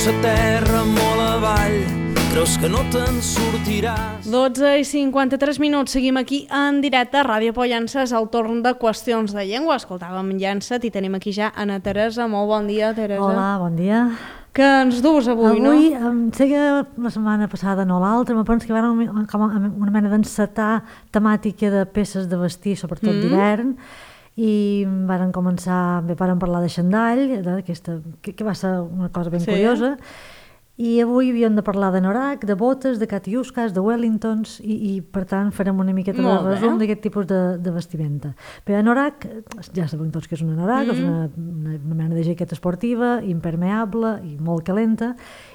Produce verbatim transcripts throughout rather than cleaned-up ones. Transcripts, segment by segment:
sa terra molt avall, creus que no te'n sortiràs. dotze i cinquanta-tres minuts, seguim aquí en directe a Ràdio Pollença, és el torn de Qüestions de Llengua. Escoltàvem Llençat i tenim aquí ja Anna Teresa. Molt bon dia, Teresa. Hola, bon dia. Que ens dus avui, avui no? Avui, em sé que la setmana passada no l'altra, me penso que va una, com una mena d'encetar temàtica de peces de vestir, sobretot mm. d'hivern, i varen començar, bé, varen parlar de xandall, d'aquesta, que, que va ser una cosa ben sí. curiosa, i avui havíem de parlar de norac, de botes, de catiuscas, de wellingtons, i, i per tant farem una miqueta Molt de resum d'aquest tipus de, de vestimenta. Bé, norac, ja sabem tots que és una norac, mm. és una, una, una mena de jaqueta esportiva, impermeable i molt calenta,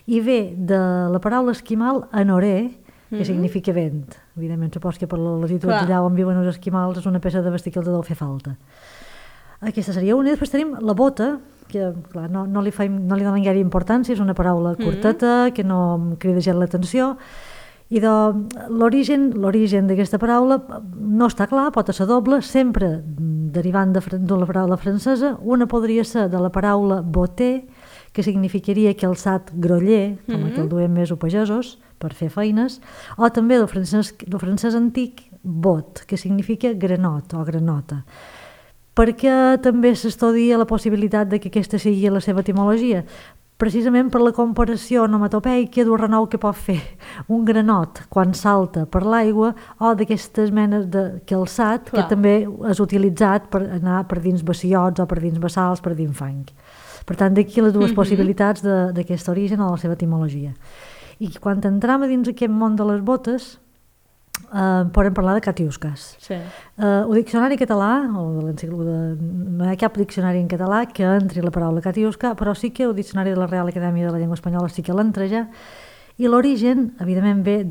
i ve de la paraula esquimal anoré, que mm. significa vent. Evidentment, supos que per la latitud allà on viuen els esquimals és una peça de vestir que els deu fer falta. Aquesta seria una. I després tenim la bota, que clar, no, no, li faim, no li donen gaire importància, és una paraula curteta, mm. que no em crida gens l'atenció, i de, l'origen l'origen d'aquesta paraula no està clar, pot ser doble, sempre derivant de, de la paraula francesa. Una podria ser de la paraula botter, que significaria calçat groller, com mm-hmm. el que el duem més o pagesos, per fer feines, o també del francès, del francès antic, bot, que significa granot o granota. Perquè també s'estudia la possibilitat de que aquesta sigui la seva etimologia? Precisament per la comparació onomatopeica d'un renou que pot fer un granot quan salta per l'aigua o d'aquestes menes de calçat Clar. que també és utilitzat per anar per dins bassiots o per dins bassals, per dins fang. Per tant, d'aquí les dues mm-hmm. possibilitats d'aquest origen o de la seva etimologia. I quan entrem a dins aquest món de les botes, eh, podem parlar de catiuscas. Sí. Eh, el diccionari català, o de l'enciclopèdia, no hi ha cap diccionari en català que entri la paraula catiusca, però sí que el diccionari de la Real Acadèmia de la Llengua Espanyola sí que l'entra ja, i l'origen, evidentment, ve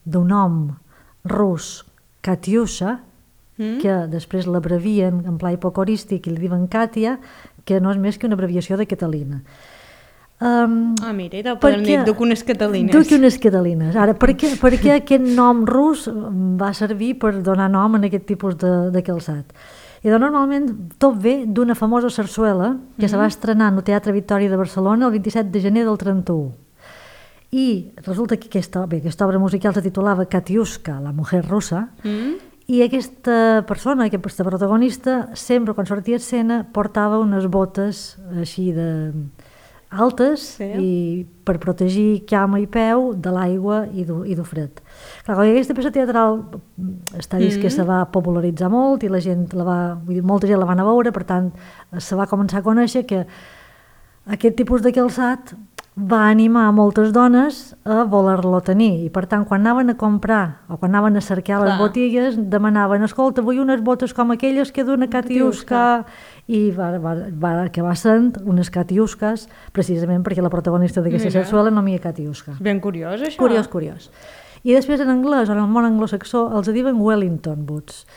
d'un nom rus, Katiusha, mm. que després l'abrevien en pla hipocorístic i li diuen Katia, que no és més que una abreviació de Catalina. Um, ah, mira, i te'l podem dir, duc unes catalines. Duc unes catalines. Ara, per què, per què aquest nom rus va servir per donar nom a aquest tipus de, de calçat? I doncs, normalment tot ve d'una famosa sarsuela que mm-hmm. se va estrenar en el Teatre Victòria de Barcelona el vint-i-set de gener del trenta-u. I resulta que aquesta, bé, aquesta obra musical se titulava Katiuska, la mujer russa, mm-hmm. i aquesta persona, aquesta protagonista, sempre quan sortia a escena portava unes botes així de altes sí. i per protegir cama i peu de l'aigua i del fred. Clar, aquesta peça teatral està vist mm-hmm. que se va popularitzar molt i la gent la va, vull dir, molta gent la va anar a veure, per tant se va començar a conèixer que aquest tipus de calçat va animar moltes dones a voler-lo tenir i per tant quan anaven a comprar o quan anaven a cercar Clar. les botigues demanaven, escolta, vull unes botes com aquelles que d'una catiusca i va, va, va acabar sent unes catiusques precisament perquè la protagonista d'aquesta sarsuela no m'hi ha catiusca. Ben curiós això. Curiós, curiós. I després en anglès o en el món anglosaxó els diuen Wellington boots.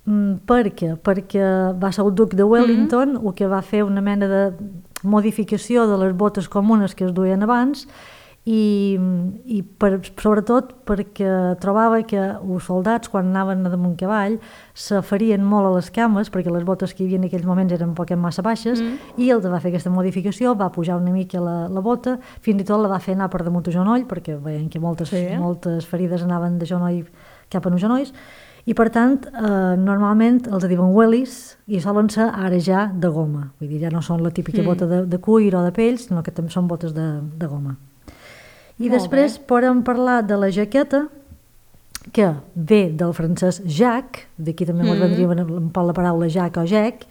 Mm, per què? Perquè va ser el duc de Wellington mm-hmm. el que va fer una mena de modificació de les botes comunes que es duien abans i, i per, sobretot perquè trobava que els soldats quan anaven damunt cavall se ferien molt a les cames perquè les botes que hi havia en aquells moments eren un poc massa baixes mm. i ell va fer aquesta modificació, va pujar una mica la, la bota, fins i tot la va fer anar per damunt el genoll perquè veien que moltes, sí. moltes ferides anaven de genoll cap a els genolls. I per tant, eh, normalment els diuen wellies i solen ser ara ja de goma. Vull dir, ja no són la típica mm. bota de, de cuir o de pell, sinó que també són botes de, de goma. I Molt després bé. podem parlar de la jaqueta, que ve del francès Jacques, d'aquí també mm. vendria un poc la paraula Jacques o Jack,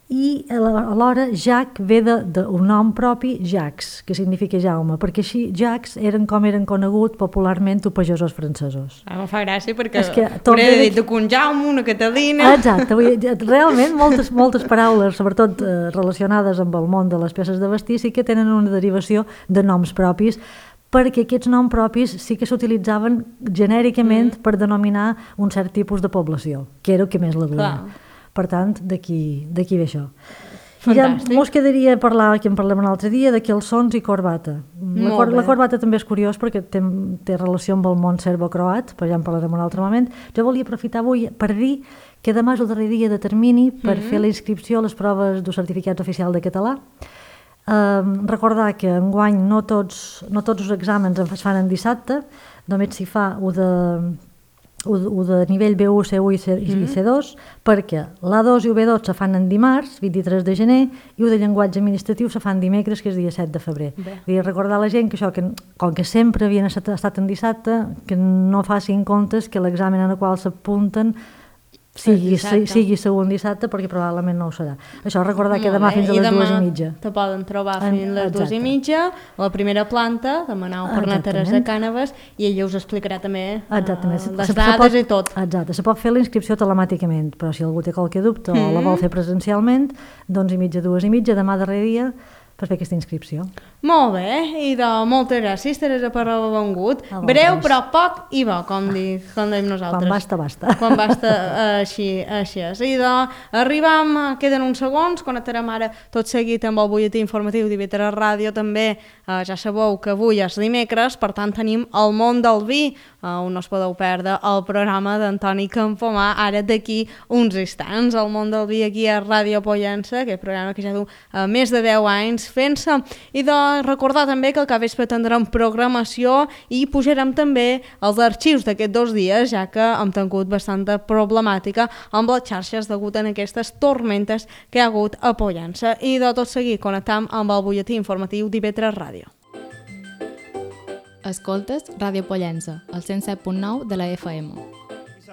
i alhora Jacques ve d'un nom propi, Jacques, que significa Jaume, perquè així Jacques eren com eren coneguts popularment els pagesos francesos. Ah, em fa gràcia perquè hauria de dir un Jaume, una Catalina... Exacte, realment moltes, moltes paraules, sobretot eh, relacionades amb el món de les peces de vestir, sí que tenen una derivació de noms propis, perquè aquests noms propis sí que s'utilitzaven genèricament mm. per denominar un cert tipus de població, que era el que més la duia. Clar. Per tant, d'aquí ve això. Fantàstic. I ja mos quedaria a parlar, que en parlem un altre dia, de calçons i corbata. La, cor la corbata també és curiós perquè té, té relació amb el món serbo-croat, però ja en parlarem un altre moment. Jo volia aprofitar avui per dir que demà és el darrer dia de termini per mm -hmm. fer la inscripció a les proves del certificat oficial de català. Eh, recordar que enguany no tots, no tots els exàmens es fan en dissabte, només s'hi fa un de, un de nivell B u, C u i, C, mm. i C dos, perquè l'A dos i el B dos se fan en dimarts, vint-i-tres de gener, i el de llenguatge administratiu se fan dimecres, que és dia set de febrer. I recordar a la gent que això, que, com que sempre havien estat, estat en dissabte, que no facin comptes que l'examen en el qual s'apunten sigui, sigui segon dissabte, perquè probablement no ho serà. Això, recordar que demà fins a les dues i mitja. Te poden trobar fins a les dues i mitja, a la primera planta, demanau per anar a Teresa Cànoves, i ella us explicarà també uh, les dades i tot. Exacte, se pot fer la inscripció telemàticament, però si algú té qualque dubte mm. o la vol fer presencialment, d'onze i mitja a dues i mitja, demà darrer dia, per fer aquesta inscripció. Molt bé, i de moltes gràcies, Teresa, per haver vengut. Breu, però poc i bo, com, di, com dèiem nosaltres. Quan basta, basta. Quan basta, així, així és. I de, arribam, queden uns segons, connectarem ara tot seguit amb el butlletí informatiu d'I V tres Ràdio, també, eh, ja sabeu que avui és dimecres, per tant tenim El món del vi, eh, on no us podeu perdre el programa d'Antoni Campomà, ara d'aquí uns instants. El món del vi aquí a Ràdio Pollença, que és un programa que ja du eh, més de deu anys fent-se, i de recordar també que al capvespre tindrem programació i pujarem també els arxius d'aquests dos dies, ja que hem tingut bastanta problemàtica amb les xarxes degut a aquestes tormentes que hi ha hagut a Pollença. I de tot seguit connectam amb el butlletí informatiu d'I V tres Ràdio. Escoltes Ràdio Pollença, al cent set punt nou de la F M.